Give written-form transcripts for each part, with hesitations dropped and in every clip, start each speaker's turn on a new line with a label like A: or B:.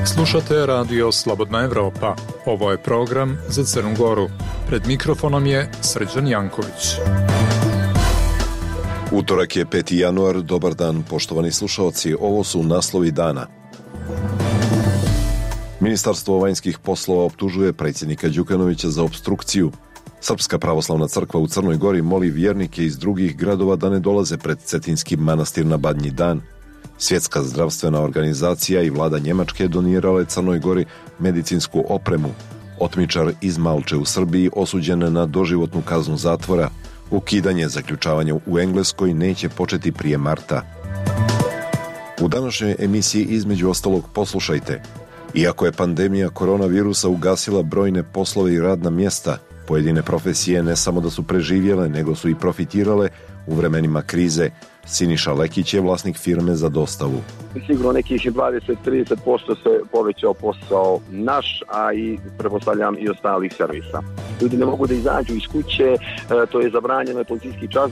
A: Slušate radio Slobodna Evropa. Ovo je program za Crnu Goru. Pred mikrofonom je Srđan Janković.
B: Utorak je 5. januar. Dobar dan, poštovani slušalci. Ovo su naslovi dana. Ministarstvo vanjskih poslova optužuje predsjednika Đukanovića za opstrukciju. Srpska pravoslavna crkva u Crnoj Gori moli vjernike iz drugih gradova da ne dolaze pred Cetinski manastir na Badnji dan. Svjetska zdravstvena organizacija i vlada Njemačke donirale Crnoj Gori medicinsku opremu. Otmičar iz Malče u Srbiji osuđen na doživotnu kaznu zatvora. Ukidanje zaključavanja u Engleskoj neće početi prije marta. U današnjoj emisiji između ostalog poslušajte. Iako je pandemija koronavirusa ugasila brojne poslove i radna mjesta, pojedine profesije ne samo da su preživjele, nego su i profitirale u vremenima krize. Siniša Lekić je vlasnik firme za dostavu.
C: Sigurno nekih 20-30% se povećao posao naš, a i pretpostavljam i ostalih servisa. Ljudi ne mogu da izađu iz kuće, to je zabranjeno, policijski čas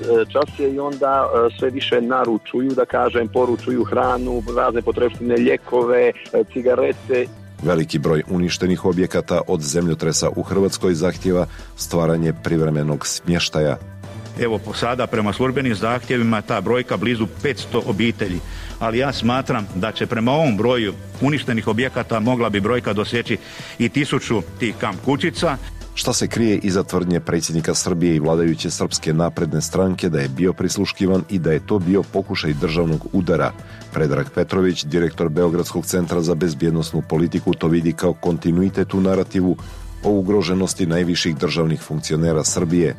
C: je, i onda sve više naručuju, da kažem, poručuju hranu, razne potrepštine, lijekove, cigarete.
B: Veliki broj uništenih objekata od zemljotresa u Hrvatskoj zahtijeva stvaranje privremenog smještaja.
D: Evo sada prema službenim zahtjevima ta brojka blizu 500 obitelji, ali ja smatram da će prema ovom broju uništenih objekata mogla bi brojka doseći i 1000 tih kamp kućica.
B: Šta se krije iza tvrdnje predsjednika Srbije i vladajuće Srpske napredne stranke da je bio prisluškivan i da je to bio pokušaj državnog udara? Predrag Petrović, direktor Beogradskog centra za bezbjednosnu politiku, to vidi kao kontinuitet u narativu o ugroženosti najviših državnih funkcionera Srbije.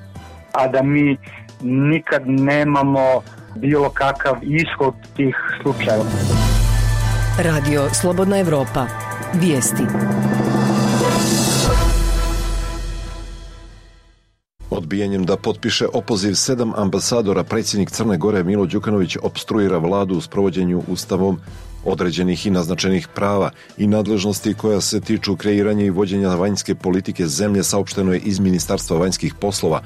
E: A da mi nikad nemamo bilo kakav ishod tih slučajeva.
F: Radio Slobodna Evropa. Vijesti.
B: Odbijanjem da potpiše opoziv 7 ambasadora, predsjednik Crne Gore Milo Đukanović opstruira vladu u sprovođenju ustavom određenih i naznačenih prava i nadležnosti koja se tiču kreiranja i vođenja vanjske politike zemlje, saopšteno je iz Ministarstva vanjskih poslova.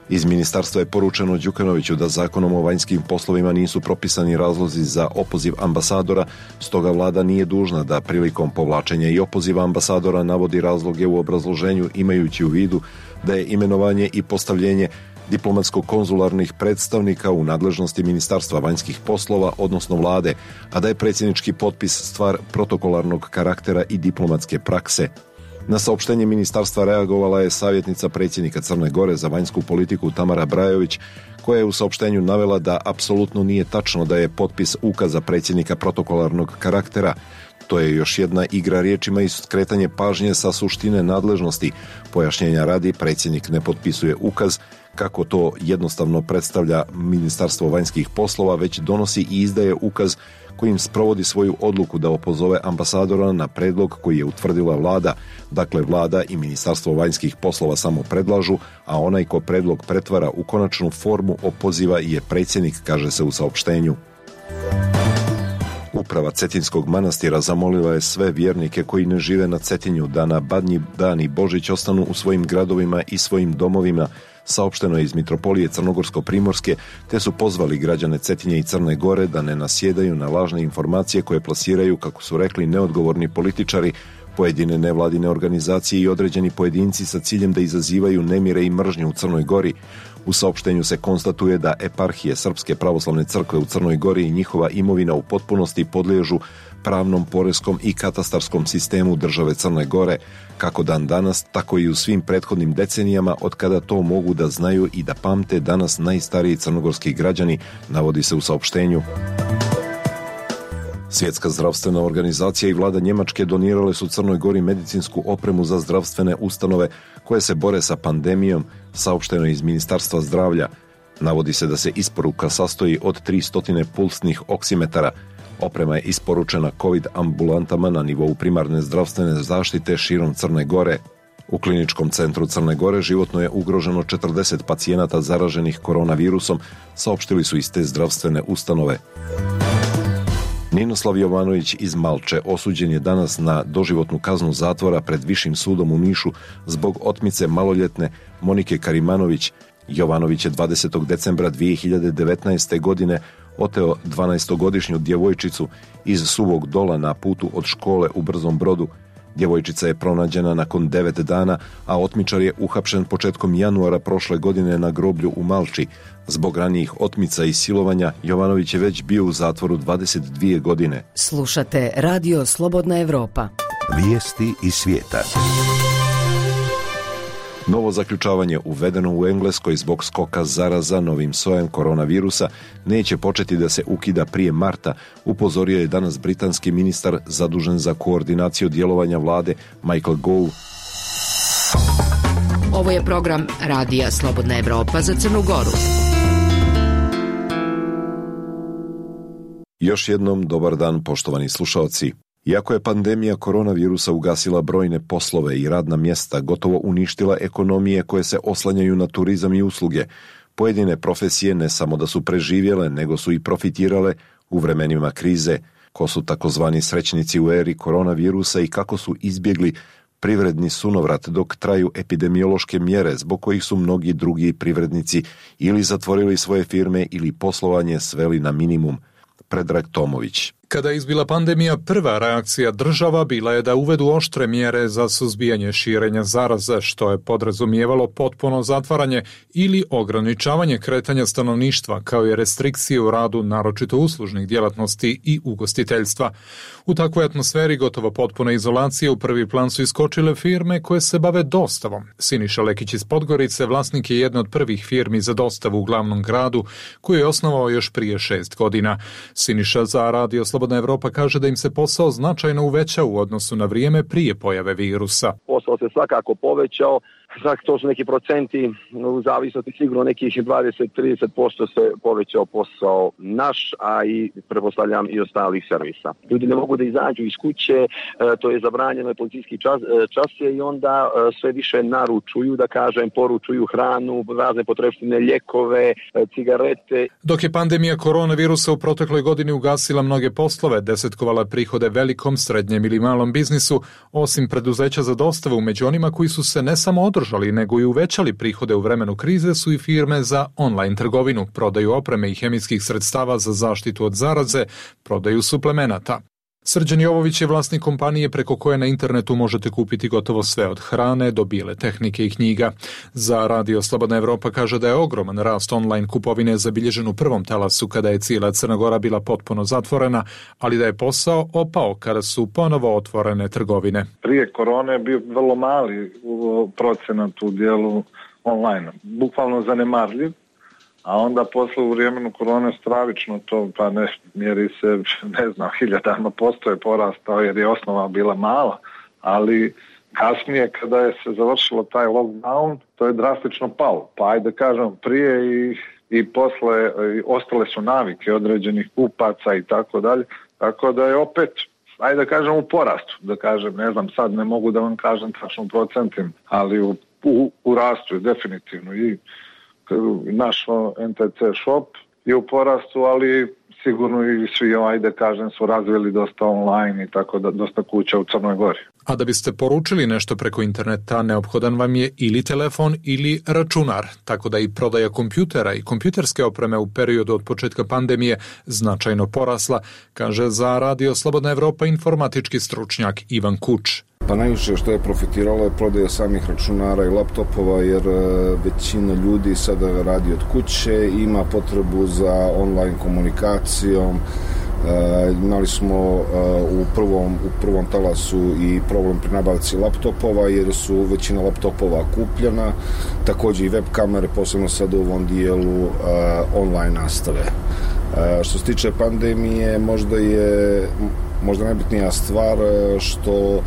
B: Iz ministarstva je poručeno Đukanoviću da zakonom o vanjskim poslovima nisu propisani razlozi za opoziv ambasadora, stoga vlada nije dužna da prilikom povlačenja i opoziva ambasadora navodi razloge u obrazloženju, imajući u vidu da je imenovanje i postavljenje diplomatsko-konzularnih predstavnika u nadležnosti Ministarstva vanjskih poslova, odnosno vlade, a da je predsjednički potpis stvar protokolarnog karaktera i diplomatske prakse. Na saopštenje ministarstva reagovala je savjetnica predsjednika Crne Gore za vanjsku politiku Tamara Brajović, koja je u saopštenju navela da apsolutno nije tačno da je potpis ukaza predsjednika protokolarnog karaktera. To je još jedna igra riječima i skretanje pažnje sa suštine nadležnosti. Pojašnjenja radi, predsjednik ne potpisuje ukaz, kako to jednostavno predstavlja Ministarstvo vanjskih poslova, već donosi i izdaje ukaz kojim sprovodi svoju odluku da opozove ambasadora na predlog koji je utvrdila vlada. Dakle, vlada i Ministarstvo vanjskih poslova samo predlažu, a onaj ko predlog pretvara u konačnu formu opoziva je predsjednik, kaže se u saopštenju. Uprava Cetinskog manastira zamolila je sve vjernike koji ne žive na Cetinju da na Badnji dan i Božić ostanu u svojim gradovima i svojim domovima, saopšteno je iz Mitropolije Crnogorsko-Primorske, te su pozvali građane Cetinje i Crne Gore da ne nasjedaju na lažne informacije koje plasiraju, kako su rekli, neodgovorni političari, pojedine nevladine organizacije i određeni pojedinci sa ciljem da izazivaju nemire i mržnju u Crnoj Gori. U saopštenju se konstatuje da eparhije Srpske pravoslavne crkve u Crnoj Gori i njihova imovina u potpunosti podliježu pravnom, poreskom i katastarskom sistemu države Crne Gore, kako dan danas, tako i u svim prethodnim decenijama od kada to mogu da znaju i da pamte danas najstariji crnogorski građani, navodi se u saopštenju. Svjetska zdravstvena organizacija i vlada Njemačke donirale su Crnoj Gori medicinsku opremu za zdravstvene ustanove koje se bore sa pandemijom, saopšteno iz Ministarstva zdravlja. Navodi se da se isporuka sastoji od 300 pulsnih oksimetara. Oprema je isporučena COVID ambulantama na nivou primarne zdravstvene zaštite širom Crne Gore. U kliničkom centru Crne Gore životno je ugroženo 40 pacijenata zaraženih koronavirusom, saopštili su iz te zdravstvene ustanove. Ninoslav Jovanović iz Malče osuđen je danas na doživotnu kaznu zatvora pred Višim sudom u Nišu zbog otmice maloljetne Monike Karimanović. Jovanović je 20. decembra 2019. godine oteo 12-godišnju djevojčicu iz Suvog Dola na putu od škole u Brzom Brodu. Djevojčica je pronađena nakon 9 dana, a otmičar je uhapšen početkom januara prošle godine na groblju u Malči. Zbog ranijih otmica i silovanja, Jovanović je već bio u zatvoru 22 godine.
F: Slušate Radio Slobodna Evropa.
G: Vijesti iz svijeta.
B: Novo zaključavanje uvedeno u Engleskoj zbog skoka zaraza novim sojem koronavirusa neće početi da se ukida prije marta, upozorio je danas britanski ministar zadužen za koordinaciju djelovanja vlade Michael Gove.
H: Ovo je program Radija Slobodna Evropa za Crnu Goru.
B: Još jednom dobar dan, poštovani slušaoci. Iako je pandemija koronavirusa ugasila brojne poslove i radna mjesta, gotovo uništila ekonomije koje se oslanjaju na turizam i usluge, pojedine profesije ne samo da su preživjele, nego su i profitirale u vremenima krize. Ko su takozvani srećnici u eri koronavirusa i kako su izbjegli privredni sunovrat dok traju epidemiološke mjere zbog kojih su mnogi drugi privrednici ili zatvorili svoje firme ili poslovanje sveli na minimum. Predrag Tomović.
A: Kada je izbila pandemija, prva reakcija država bila je da uvedu oštre mjere za suzbijanje širenja zaraze, što je podrazumijevalo potpuno zatvaranje ili ograničavanje kretanja stanovništva, kao i restrikcije u radu naročito uslužnih djelatnosti i ugostiteljstva. U takvoj atmosferi gotovo potpune izolacije u prvi plan su iskočile firme koje se bave dostavom. Siniša Lekić iz Podgorice vlasnik je jedne od prvih firmi za dostavu u glavnom gradu, koju je osnovao još prije 6 godina. Siniša za Radio Slobodna Evropa kaže da im se posao značajno uvećao u odnosu na vrijeme prije pojave virusa.
C: Posao se svakako povećao, to su neki procenti, u zavisnosti sigurno nekih 20-30% se povećao posao naš, a i pretpostavljam i ostalih servisa. Ljudi ne mogu da izađu iz kuće, to je zabranjeno je policijski čas i onda sve više naručuju, da kažem, poručuju hranu, razne potrepštine, lijekove, cigarete.
A: Dok je pandemija koronavirusa u protekloj godini ugasila mnoge poslove, desetkovala prihode velikom, srednjem ili malom biznisu, osim preduzeća za dostavu, među onima koji su se ne samo održali, nego i uvećali prihode u vremenu krize su i firme za online trgovinu, prodaju opreme i hemijskih sredstava za zaštitu od zaraze, prodaju suplemenata. Srđan Jovović je vlasnik kompanije preko koje na internetu možete kupiti gotovo sve od hrane do bijele tehnike i knjiga. Za Radio Slobodna Evropa kaže da je ogroman rast online kupovine zabilježen u prvom talasu kada je cijela Crna Gora bila potpuno zatvorena, ali da je posao opao kada su ponovo otvorene trgovine.
I: Prije korone je bio vrlo mali procenat u dijelu online, bukvalno zanemarljiv. A onda posle u vremenu korone stravično to, pa ne mjeri se, ne znam, 1000% je porastao jer je osnova bila mala, ali kasnije kada je se završilo taj lockdown, to je drastično palo. Pa ajde kažem, prije i posle ostale su navike određenih kupaca i tako dalje, tako da je opet, ajde kažem, u porastu, da kažem, ne znam, sad ne mogu da vam kažem tačno procentim, ali u rastu je definitivno i naš NTC shop je u porastu, ali sigurno i svi, ajde kažem, su razvili dosta online i tako da dosta kuća u Crnoj Gori.
A: A da biste poručili nešto preko interneta, neophodan vam je ili telefon ili računar, tako da i prodaja kompjutera i kompjuterske opreme u periodu od početka pandemije značajno porasla, kaže za Radio Slobodna Evropa informatički stručnjak Ivan Kuč.
J: Pa najviše što je profitiralo je prodaja samih računara i laptopova, jer većina ljudi sada radi od kuće, ima potrebu za online komunikacijom. Imali smo u prvom talasu i problem pri nabavci laptopova, jer su većina laptopova kupljena, također i web kamere, posebno sad u ovom dijelu online nastave. Što se tiče pandemije, možda najbitnija stvar što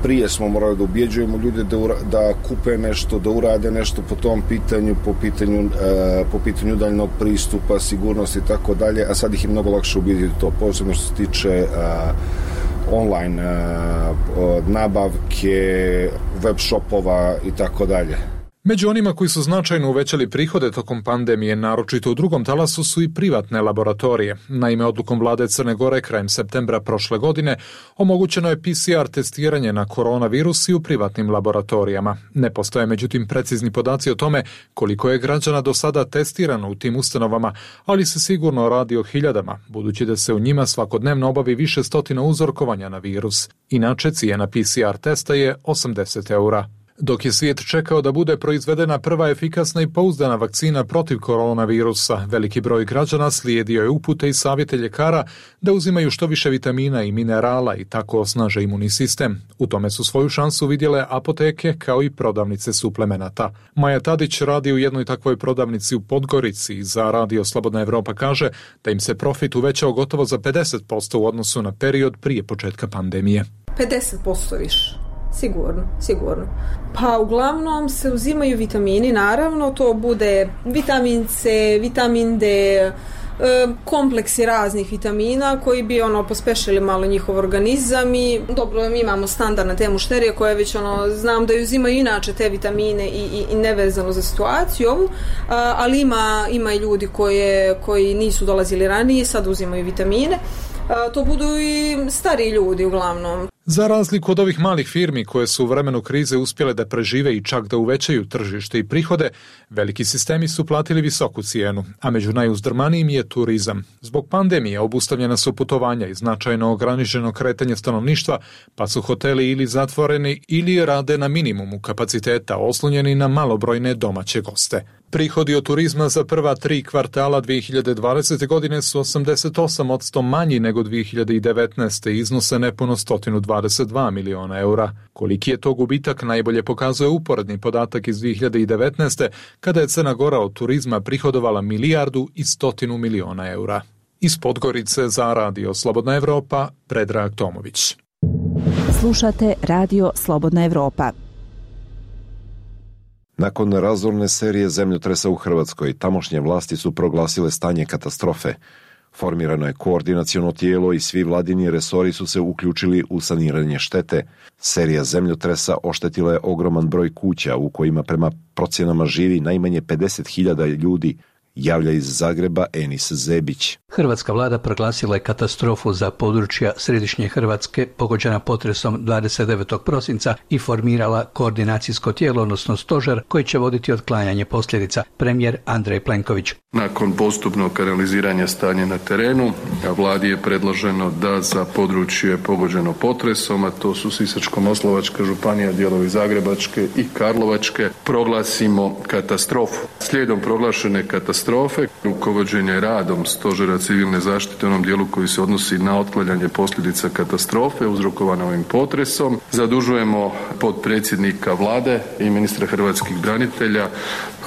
J: prije smo morali da ubjeđujemo ljude da kupe nešto, da urade nešto po tom pitanju, po pitanju udaljnog pristupa, sigurnosti i tako dalje, a sad ih je mnogo lakše ubjediti to, posebno što se tiče online nabavke, web shopova i tako dalje.
A: Među onima koji su značajno uvećali prihode tokom pandemije, naročito u drugom talasu, su i privatne laboratorije. Naime, odlukom vlade Crne Gore krajem septembra prošle godine omogućeno je PCR testiranje na koronavirus i u privatnim laboratorijama. Ne postoje međutim precizni podaci o tome koliko je građana do sada testirano u tim ustanovama, ali se sigurno radi o hiljadama, budući da se u njima svakodnevno obavi više stotina uzorkovanja na virus. Inače, cijena PCR testa je 80 eura. Dok je svijet čekao da bude proizvedena prva efikasna i pouzdana vakcina protiv koronavirusa, veliki broj građana slijedio je upute i savjete ljekara da uzimaju što više vitamina i minerala i tako osnaže imunni sistem. U tome su svoju šansu vidjele apoteke kao i prodavnice suplemenata. Maja Tadić radi u jednoj takvoj prodavnici u Podgorici i za Radio Slobodna Evropa kaže da im se profit uvećao gotovo za 50% u odnosu na period prije početka pandemije.
K: 50% više. Sigurno. Pa uglavnom se uzimaju vitamini, naravno, to bude vitamin C, vitamin D, kompleksi raznih vitamina koji bi pospešili malo njihov organizam i dobro, mi imamo standardne te mušterije koje već znam da uzimaju inače te vitamine i nevezano za situaciju ovu, ali ima i ljudi koji nisu dolazili ranije, sad uzimaju vitamine. To budu i stariji ljudi uglavnom.
A: Za razliku od ovih malih firmi koje su u vremenu krize uspjele da prežive i čak da uvećaju tržište i prihode, veliki sistemi su platili visoku cijenu, a među najuzdrmanijim je turizam. Zbog pandemije obustavljena su putovanja i značajno ograničeno kretanje stanovništva, pa su hoteli ili zatvoreni ili rade na minimumu kapaciteta, oslonjeni na malobrojne domaće goste. Prihodi od turizma za prva 3 kvartala 2020. godine su 88% manji nego 2019. i iznose nepuno 122 miliona eura. Koliki je to gubitak najbolje pokazuje uporedni podatak iz 2019. kada je Crna Gora od turizma prihodovala 1,1 milijardu eura. Iz Podgorice za Radio Slobodna Evropa, Predrag Tomović.
L: Slušate Radio Slobodna Evropa.
B: Nakon razorne serije zemljotresa u Hrvatskoj, tamošnje vlasti su proglasile stanje katastrofe. Formirano je koordinaciono tijelo i svi vladini resori su se uključili u saniranje štete. Serija zemljotresa oštetila je ogroman broj kuća u kojima prema procjenama živi najmanje 50.000 ljudi, javlja iz Zagreba Enis Zebić.
M: Hrvatska vlada proglasila je katastrofu za područja središnje Hrvatske pogođena potresom 29. prosinca i formirala koordinacijsko tijelo, odnosno stožer, koji će voditi otklanjanje posljedica. Premijer Andrej Plenković.
N: Nakon postupnog analiziranja stanja na terenu, vladi je predloženo da za područje pogođeno potresom, a to su Sisačko-moslavačka županija, dijelovi Zagrebačke i Karlovačke, proglasimo katastrofu. Slijedom proglašene katastrofe, rukovođenje radom Stožera civilne zaštite u onom dijelu koji se odnosi na otklanjanje posljedica katastrofe uzrokovane ovim potresom, zadužujemo potpredsjednika vlade i ministra hrvatskih branitelja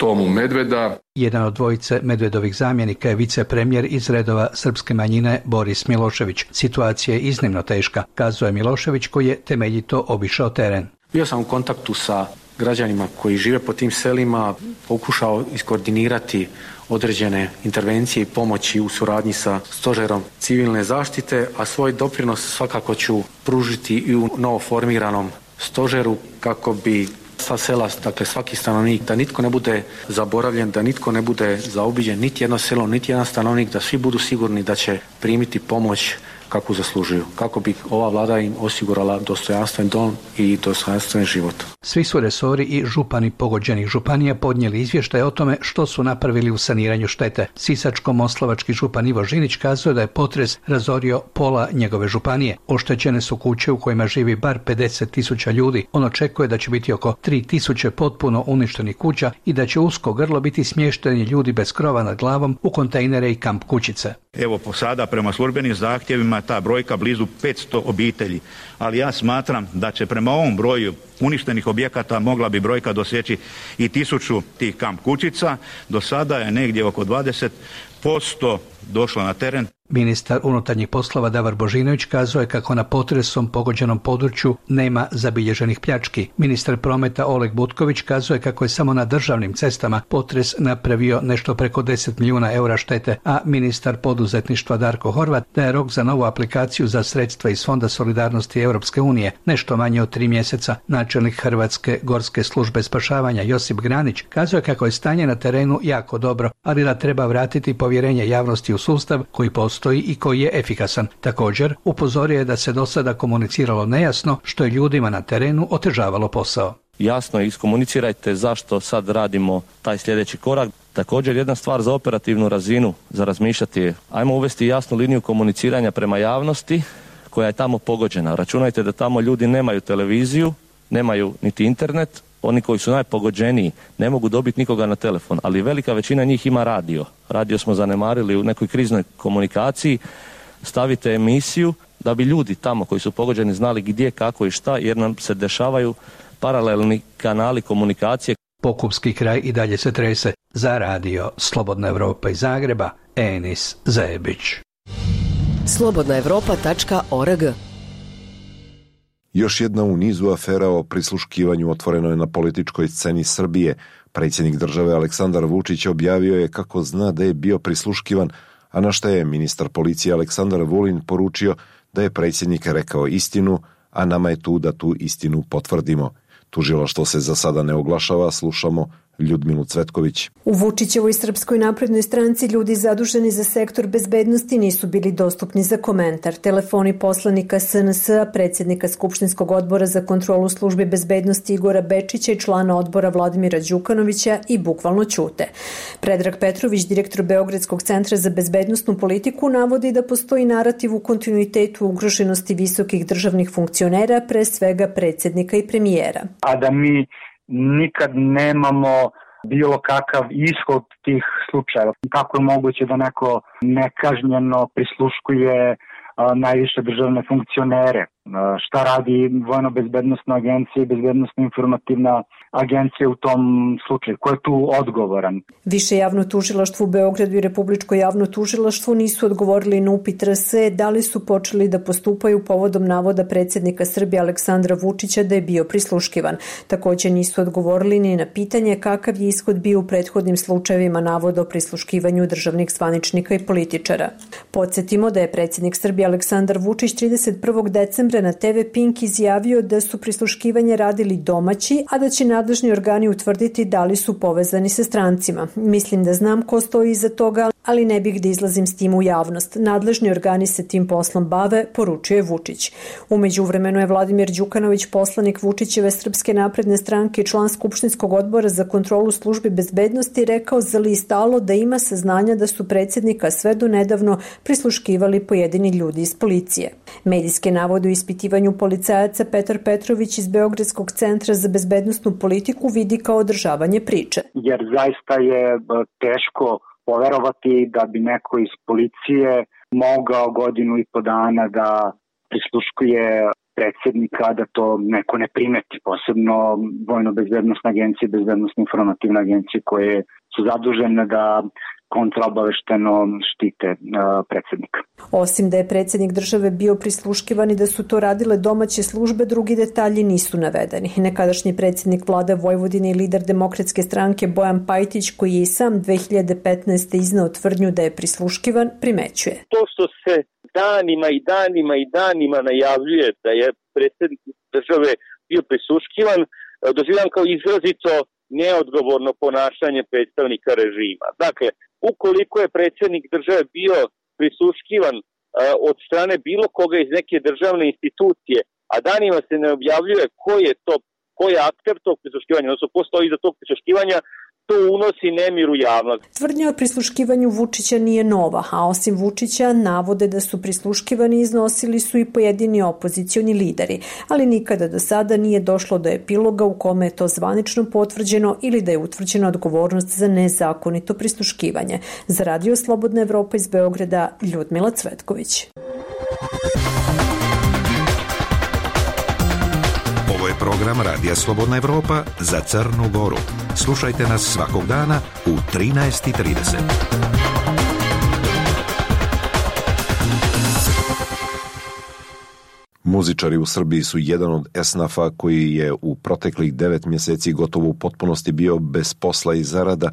N: Tomu Medveda.
M: Jedan od dvojice Medvedovih zamjenika je vicepremijer iz redova srpske manjine Boris Milošević. Situacija je iznimno teška, kazuje Milošević koji je temeljito obišao teren.
O: Bio sam u kontaktu sa građanima koji žive po tim selima, pokušao iskoordinirati određene intervencije i pomoći u suradnji sa Stožerom civilne zaštite, a svoj doprinos svakako ću pružiti i u novoformiranom stožeru kako bi sva sela, dakle svaki stanovnik, da nitko ne bude zaboravljen, da nitko ne bude zaobiđen, niti jedno selo, niti jedan stanovnik, da svi budu sigurni da će primiti pomoć kakvu zaslužuju, kako bi ova vlada im osigurala dostojanstven dom i dostojanstven život.
M: Svi su resori i župani pogođenih županija podnijeli izvještaj o tome što su napravili u saniranju štete. Sisačko-moslavački župan Ivo Žinić kazuje da je potres razorio pola njegove županije. Oštećene su kuće u kojima živi bar 50.000 ljudi. On očekuje da će biti oko 3.000 potpuno uništenih kuća i da će usko grlo biti smješteni ljudi bez krova nad glavom u kontejnere i kamp kućice.
D: Evo sada prema službenim zahtjevima ta brojka blizu 500 obitelji, ali ja smatram da će prema ovom broju uništenih objekata mogla bi brojka doseći i 1000 tih kamp kućica. Do sada je negdje oko 20% došlo na teren.
M: Ministar unutarnjih poslova Davor Božinović kazao je kako na potresom pogođenom području nema zabilježenih pljački. Ministar prometa Oleg Butković kazao je kako je samo na državnim cestama potres napravio nešto preko 10 milijuna eura štete, a ministar poduzetništva Darko Horvat da je rok za novu aplikaciju za sredstva iz Fonda solidarnosti Europske unije nešto manje od 3 mjeseca. Načelnik Hrvatske gorske službe spašavanja Josip Granić kazao je kako je stanje na terenu jako dobro, ali da treba vratiti povjerenje javnosti u sustav koji postoji i koji je efikasan. Također, upozorio je da se do sada komuniciralo nejasno, što je ljudima na terenu otežavalo posao.
P: Jasno iskomunicirajte zašto sad radimo taj sljedeći korak. Također jedna stvar za operativnu razinu za razmišljati je, ajmo uvesti jasnu liniju komuniciranja prema javnosti koja je tamo pogođena. Računajte da tamo ljudi nemaju televiziju, nemaju niti internet, oni koji su najpogođeniji ne mogu dobiti nikoga na telefon, ali velika većina njih ima radio. Radio smo zanemarili u nekoj kriznoj komunikaciji. Stavite emisiju da bi ljudi tamo koji su pogođeni znali gdje, kako i šta, jer nam se dešavaju paralelni kanali komunikacije.
M: Pokupski kraj i dalje se trese. Za radio Slobodna Evropa iz Zagreba, Enis Zebić.
F: slobodnaevropa.org.
B: Još jedna u nizu afera o prisluškivanju otvoreno je na političkoj sceni Srbije. Predsjednik države Aleksandar Vučić objavio je kako zna da je bio prisluškivan, a na što je ministar policije Aleksandar Vulin poručio da je predsjednik rekao istinu, a nama je tu da tu istinu potvrdimo. Tužilaštvo se za sada ne oglašava, slušamo Ljudmilu Cvetković.
Q: U Vučićevoj Srpskoj naprednoj stranci ljudi zaduženi za sektor bezbednosti nisu bili dostupni za komentar. Telefoni poslanika SNS-a, predsjednika Skupštinskog odbora za kontrolu službe bezbednosti Igora Bečića i člana odbora Vladimira Đukanovića i bukvalno ćute. Predrag Petrović, direktor Beogradskog centra za bezbednosnu politiku, navodi da postoji narativ u kontinuitetu ugroženosti visokih državnih funkcionera, pre svega predsjednika i premijera.
E: A da mi nikad nemamo bilo kakav ishod tih slučajeva. Kako je moguće da neko nekažnjeno prisluškuje najviše državne funkcionere? Šta radi Vojno-bezbednosna agencija i Bezbednosno-informativna agencija u tom slučaju? Ko je tu odgovoran?
Q: Više javno tužilaštvo u Beogradu i Republičko javno tužilaštvo nisu odgovorili na upit RS da li su počeli da postupaju povodom navoda predsjednika Srbije Aleksandra Vučića da je bio prisluškivan. Također nisu odgovorili ni na pitanje kakav je ishod bio u prethodnim slučajevima navoda o prisluškivanju državnih zvaničnika i političara. Podsjetimo da je predsjednik Srbije Aleksandar Vučić 31. decembra na TV Pink izjavio da su prisluškivanje radili domaći, a da će nadležni organi utvrditi da li su povezani sa strancima. Mislim da znam ko stoji iza toga, ali ne bih da izlazim s tim u javnost. Nadležni organi se tim poslom bave, poručio je Vučić. U međuvremenu je Vladimir Đukanović, poslanik Vučićeve Srpske napredne stranke i član Skupštinskog odbora za kontrolu službe bezbednosti, rekao za list Alo da ima saznanja da su predsjednika sve do nedavno prisluškivali pojedini ljudi iz policije. Medijske navode u ispitivanju policajaca Petar Petrović iz Beogradskog centra za bezbednosnu politiku vidi kao održavanje priče.
E: Jer zaista je teško poverovati da bi neko iz policije mogao godinu i po dana da prisluškuje predsjednika, da to neko ne primeti, posebno Vojno-bezbednosna agencija i Bezbednosno-informativna agencija koje su zadužene da kontraobavešteno štite predsjednika.
Q: Osim da je predsjednik države bio prisluškivan i da su to radile domaće službe, drugi detalji nisu navedeni. Nekadašnji predsjednik vlade Vojvodine i lider Demokratske stranke Bojan Pajtić, koji je i sam 2015. izneo tvrdnju da je prisluškivan, primećuje.
R: To što se danima najavljuje da je predsjednik države bio prisluškivan, doživljavam kao izrazito neodgovorno ponašanje predstavnika režima. Dakle, ukoliko je predsjednik države bio prisluškivan od strane bilo koga iz neke državne institucije, a danima se ne objavljuje ko je akter tog prisluškivanja, odnosno ko stoji iza tog prisluškivanja, to unosi nemir u javnost.
Q: Tvrdnja o prisluškivanju Vučića nije nova, a osim Vučića navode da su prisluškivani iznosili su i pojedini opozicioni lideri, ali nikada do sada nije došlo do epiloga u kome je to zvanično potvrđeno ili da je utvrđena odgovornost za nezakonito prisluškivanje. Za Radio Slobodna Evropa iz Beograda, Ljudmila Cvetković.
G: Ovo je program Radija Slobodna Evropa za Crnu Goru. Slušajte nas svakog dana u 13:30.
B: Muzičari u Srbiji su jedan od esnafa koji je u proteklih 9 mjeseci gotovo u potpunosti bio bez posla i zarada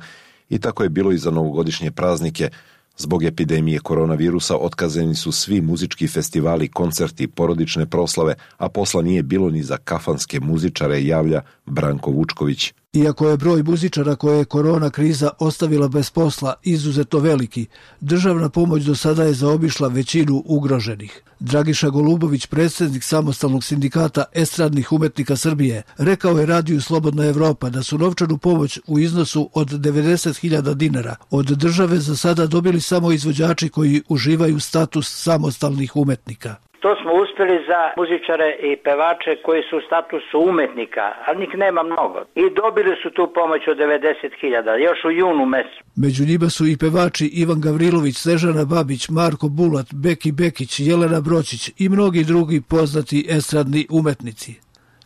B: i tako je bilo i za novogodišnje praznike. Zbog epidemije koronavirusa otkazani su svi muzički festivali, koncerti, porodične proslave, a posla nije bilo ni za kafanske muzičare, javlja Branko Vučković.
S: Iako je broj muzičara koje je korona kriza ostavila bez posla izuzetno veliki, državna pomoć do sada je zaobišla većinu ugroženih. Dragiša Golubović, predsjednik Samostalnog sindikata estradnih umetnika Srbije, rekao je Radiju Slobodna Evropa da su novčanu pomoć u iznosu od 90.000 dinara od države za sada dobili samo izvođači koji uživaju status samostalnih umetnika.
T: To smo uspjeli za muzičare i pevače koji su u statusu umetnika, ali njih nema mnogo. I dobili su tu pomoć od 90.000, još u junu mjesecu.
S: Među njima su i pevači Ivan Gavrilović, Snežana Babić, Marko Bulat, Beki Bekić, Jelena Bročić i mnogi drugi poznati estradni umetnici.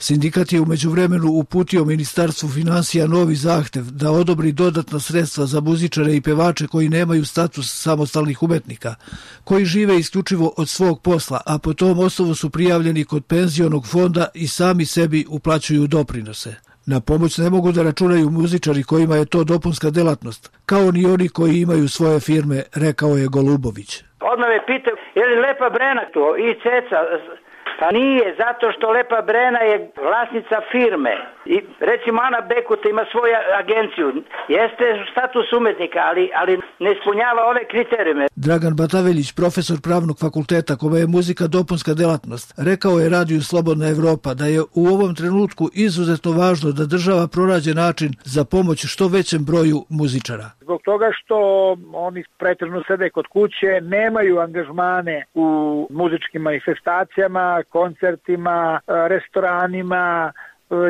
S: Sindikat je u međuvremenu uputio Ministarstvu financija novi zahtev da odobri dodatna sredstva za muzičare i pevače koji nemaju status samostalnih umetnika, koji žive isključivo od svog posla, a po tom osnovu su prijavljeni kod penzionog fonda i sami sebi uplaćuju doprinose. Na pomoć ne mogu da računaju muzičari kojima je to dopunska delatnost, kao ni oni koji imaju svoje firme, rekao je Golubović.
T: Odmah me pitao, je li Lepa Brena tu i Ceca? Pa nije, zato što Lepa Brena je vlasnica firme i recimo Ana Bekuta ima svoju agenciju. Jeste status umetnika, ali ne ispunjava ove kriterijume.
S: Dragan Bataveljić, profesor pravnog fakulteta kome je muzika dopunska delatnost, rekao je Radiju Slobodna Evropa da je u ovom trenutku izuzetno važno da država pronađe način za pomoć što većem broju muzičara.
U: Zbog toga što oni pretežno sede kod kuće, nemaju angažmane u muzičkim manifestacijama, koncertima, restoranima.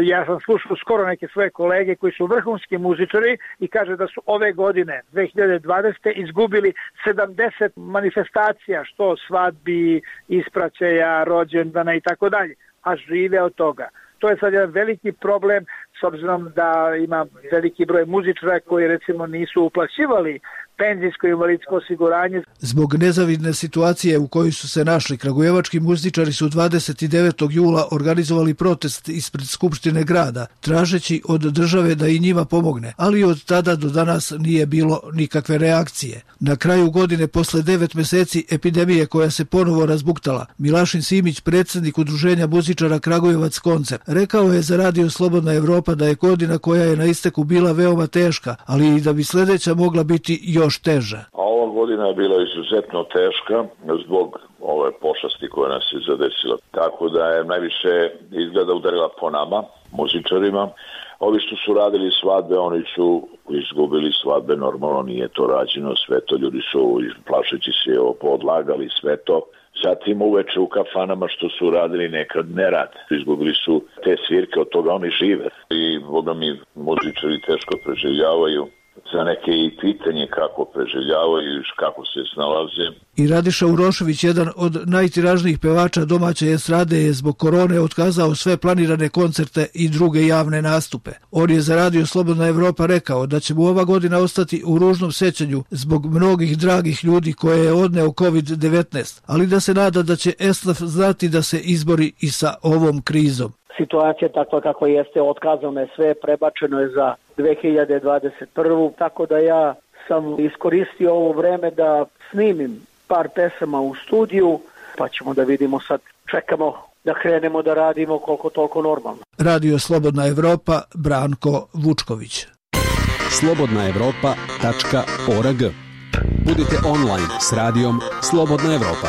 U: Ja sam slušao skoro neke svoje kolege koji su vrhunski muzičari i kaže da su ove godine, 2020. izgubili 70 manifestacija, što svadbi, ispraćaja, rođendana i tako dalje, a žive od toga. To je sad jedan veliki problem s obzirom da ima veliki broj muzičara koji recimo nisu uplaćivali penzijsko i invalidsko osiguranje.
S: Zbog nezavidne situacije u kojoj su se našli, kragujevački muzičari su 29. jula organizovali protest ispred Skupštine grada, tražeći od države da i njima pomogne, ali od tada do danas nije bilo nikakve reakcije. Na kraju godine, posle 9 mjeseci epidemije koja se ponovo razbuktala, Milašin Simić, predsjednik Udruženja muzičara Kragujevac Koncert, rekao je za Radio Slobodna Evropa da je godina koja je na isteku bila veoma teška, ali i da bi sljedeća mogla biti još teža.
V: A ova godina je bila izuzetno teška zbog ove pošasti koja nas je zadesila. Tako da je najviše izgleda udarila po nama, muzičarima. Ovi što su radili svadbe, oni su izgubili svadbe, normalno nije to rađeno, sve to ljudi su plašeći se podlagali sve to. Zatim uveče u kafanama što su radili nekad ne rade. Izgubili su te svirke, od toga oni žive. I boga mi muzičari teško preživljavaju. Za neke i pitanje kako preživljavaju i kako se snalaze.
S: I Radiša Urošević, jedan od najtiražnijih pevača domaće estrade, je zbog korone otkazao sve planirane koncerte i druge javne nastupe. On je za Radio Slobodna Evropa rekao da će mu ova godina ostati u ružnom sećanju zbog mnogih dragih ljudi koje je odneo COVID-19, ali da se nada da će esnaf znati da se izbori i sa ovom krizom.
W: Situacija takva kako jeste, otkazano je sve, prebačeno je za 2021. Tako da ja sam iskoristio ovo vreme da snimim par pesama u studiju, pa ćemo da vidimo sad, čekamo da krenemo da radimo koliko toliko normalno.
S: Radio Slobodna Evropa, Branko Vučković.
X: slobodnaevropa.org. Budite online s radijom Slobodna Evropa.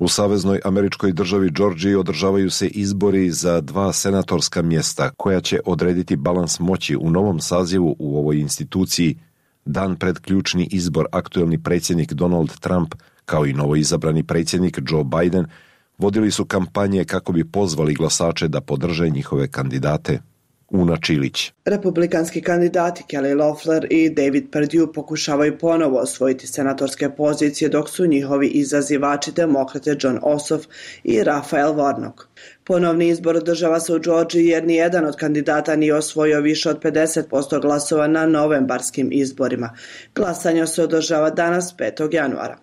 B: U saveznoj američkoj državi Džordžiji održavaju se izbori za 2 senatorska mjesta koja će odrediti balans moći u novom sazivu u ovoj instituciji. Dan pred ključni izbor aktuelni predsjednik Donald Trump kao i novoizabrani predsjednik Joe Biden vodili su kampanje kako bi pozvali glasače da podrže njihove kandidate. Una Čilić.
Y: Republikanski kandidati Kelly Loeffler i David Perdue pokušavaju ponovo osvojiti senatorske pozicije dok su njihovi izazivači demokrate John Ossoff i Raphael Warnock. Ponovni izbor održava se u Džordžiji jer nijedan od kandidata nije osvojio više od 50% glasova na novembarskim izborima. Glasanje se održava danas 5. januara.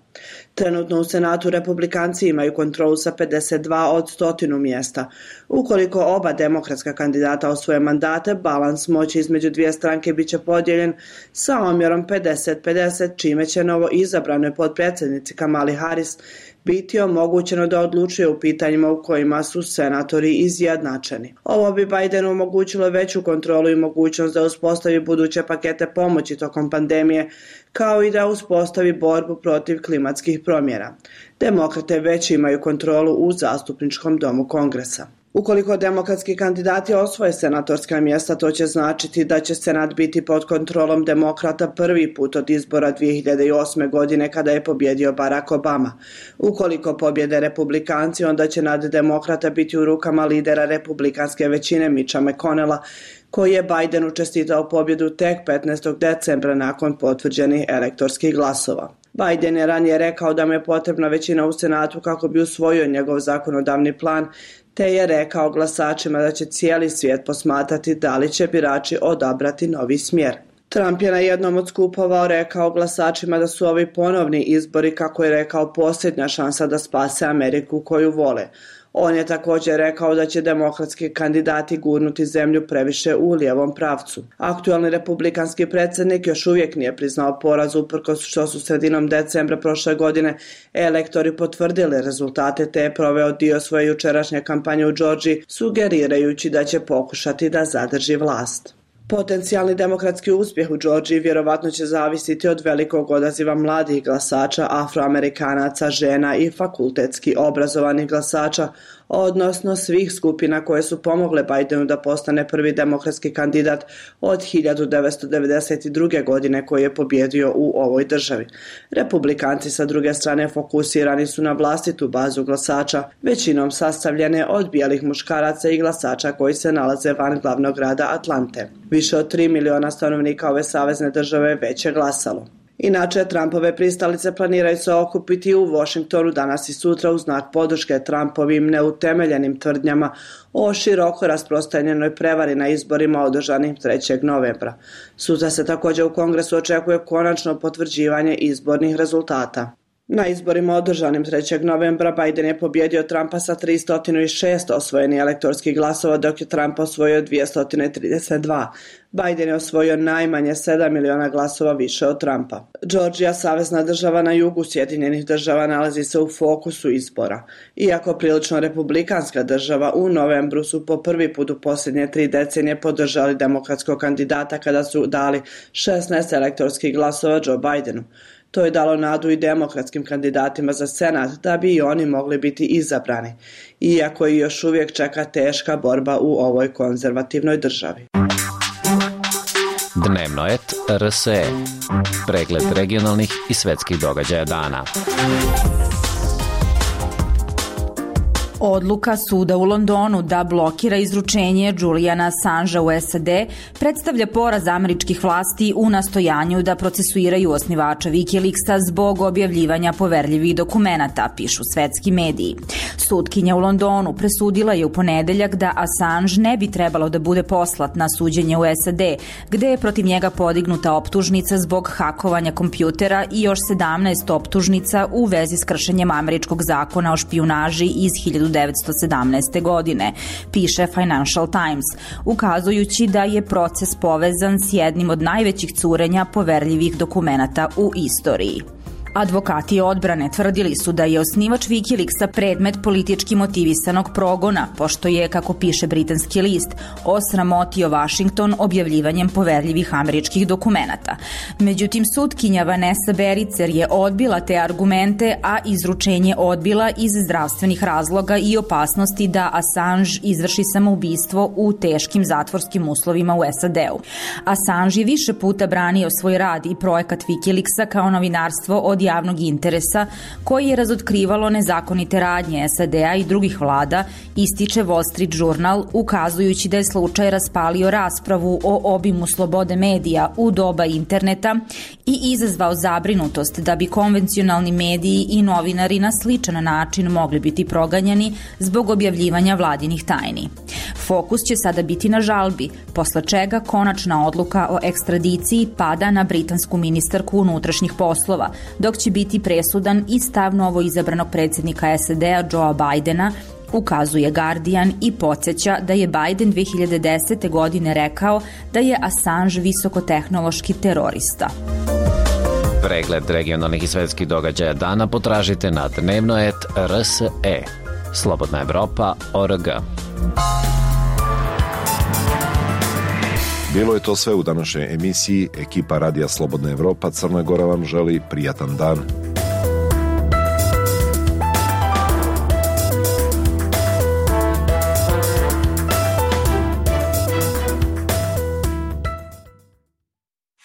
Y: Trenutno u Senatu republikanci imaju kontrolu sa 52 od 100 mjesta. Ukoliko oba demokratska kandidata osvoje mandate, balans moći između dvije stranke bit će podijeljen sa omjerom 50-50, čime će novo izabranoj potpredsjednici Kamali Harris biti omogućeno da odlučuje u pitanjima u kojima su senatori izjednačeni. Ovo bi Bidenu omogućilo veću kontrolu i mogućnost da uspostavi buduće pakete pomoći tokom pandemije, kao i da uspostavi borbu protiv klimatskih promjena. Demokrate već imaju kontrolu u zastupničkom domu Kongresa. Ukoliko demokratski kandidati osvoje senatorska mjesta, to će značiti da će Senat biti pod kontrolom demokrata prvi put od izbora 2008. godine kada je pobjedio Barack Obama. Ukoliko pobjede republikanci, onda će nad demokrata biti u rukama lidera republikanske većine Mitcha McConnella, koji je Bidenu čestitao pobjedu tek 15. decembra nakon potvrđenih elektorskih glasova. Biden je ranije rekao da mu je potrebna većina u Senatu kako bi usvojio njegov zakonodavni plan, te je rekao glasačima da će cijeli svijet posmatrati da li će birači odabrati novi smjer. Trump je na jednom od skupova rekao glasačima da su ovi ponovni izbori, kako je rekao, posljednja šansa da spase Ameriku koju vole. On je također rekao da će demokratski kandidati gurnuti zemlju previše u lijevom pravcu. Aktualni republikanski predsjednik još uvijek nije priznao poraz, uprkos što su sredinom decembra prošle godine elektori potvrdili rezultate, te je proveo dio svoje jučerašnje kampanje u Georgiji, sugerirajući da će pokušati da zadrži vlast. Potencijalni demokratski uspjeh u Georgiji vjerovatno će zavisiti od velikog odaziva mladih glasača, Afroamerikanaca, žena i fakultetski obrazovanih glasača, odnosno svih skupina koje su pomogle Bidenu da postane prvi demokratski kandidat od 1992. godine koji je pobjedio u ovoj državi. Republikanci sa druge strane fokusirani su na vlastitu bazu glasača, većinom sastavljene od bijelih muškaraca i glasača koji se nalaze van glavnog grada Atlante. Više od 3 miliona stanovnika ove savezne države već je glasalo. Inače, Trumpove pristalice planiraju se okupiti u Washingtonu danas i sutra u znak podrške Trumpovim neutemeljenim tvrdnjama o široko rasprostranjenoj prevari na izborima održanim 3. novembra. Sutra se također u Kongresu očekuje konačno potvrđivanje izbornih rezultata. Na izborima održanim 3. novembra Biden je pobjedio Trumpa sa 306 osvojenih elektorskih glasova, dok je Trump osvojio 232. Biden je osvojio najmanje 7 miliona glasova više od Trumpa. Georgija, savezna država na jugu Sjedinjenih država, nalazi se u fokusu izbora. Iako prilično republikanska država, u novembru su po prvi put u posljednje 3 decenije podržali demokratskog kandidata kada su dali 16 elektorskih glasova Joe Bidenu. To je dalo nadu i demokratskim kandidatima za Senat da bi i oni mogli biti izabrani, iako i još uvijek čeka teška borba u ovoj konzervativnoj državi.
C: Dnevnoet RSE. Pregled regionalnih i svetskih događaja dana.
H: Odluka suda u Londonu da blokira izručenje Juliana Assangea u SAD predstavlja poraz američkih vlasti u nastojanju da procesuiraju osnivača Wikileaksa zbog objavljivanja poverljivih dokumenata, pišu svetski mediji. Sudkinja u Londonu presudila je u ponedeljak da Assange ne bi trebalo da bude poslat na suđenje u SAD, gde je protiv njega podignuta optužnica zbog hakovanja kompjutera i još 17 optužnica u vezi s kršenjem američkog zakona o špijunaži iz 1917. godine, piše Financial Times, ukazujući da je proces povezan s jednim od najvećih curenja poverljivih dokumenata u istoriji. Advokati odbrane tvrdili su da je osnivač Wikileaksa predmet politički motivisanog progona, pošto je, kako piše britanski list, osramotio Washington objavljivanjem poverljivih američkih dokumenata. Međutim, sudkinja Vanessa Bericer je odbila te argumente, a izručenje odbila iz zdravstvenih razloga i opasnosti da Assange izvrši samoubistvo u teškim zatvorskim uslovima u SAD-u. Assange je više puta branio svoj rad i projekat Wikileaksa kao novinarstvo od javnog interesa koji je razotkrivalo nezakonite radnje SAD-a i drugih vlada, ističe Wall Street Journal, ukazujući da je slučaj raspalio raspravu o obimu slobode medija u doba interneta i izazvao zabrinutost da bi konvencionalni mediji i novinari na sličan način mogli biti proganjani zbog objavljivanja vladinih tajni. Fokus će sada biti na žalbi, posle čega konačna odluka o ekstradiciji pada na britansku ministarku unutrašnjih poslova, dok dok će biti presudan i stav novo izabranog predsjednika SAD-a Joea Bidena, ukazuje Guardian i podsjeća da je Biden 2010. godine rekao da je Assange visokotehnološki terorista.
C: Pregled regionalnih i svetskih događaja dana potražite na dnevno.rs.e. Slobodna Evropa.org.
B: Bilo je to sve u današnjoj emisiji. Ekipa Radija Slobodna Evropa Crna Gora vam želi prijatan dan.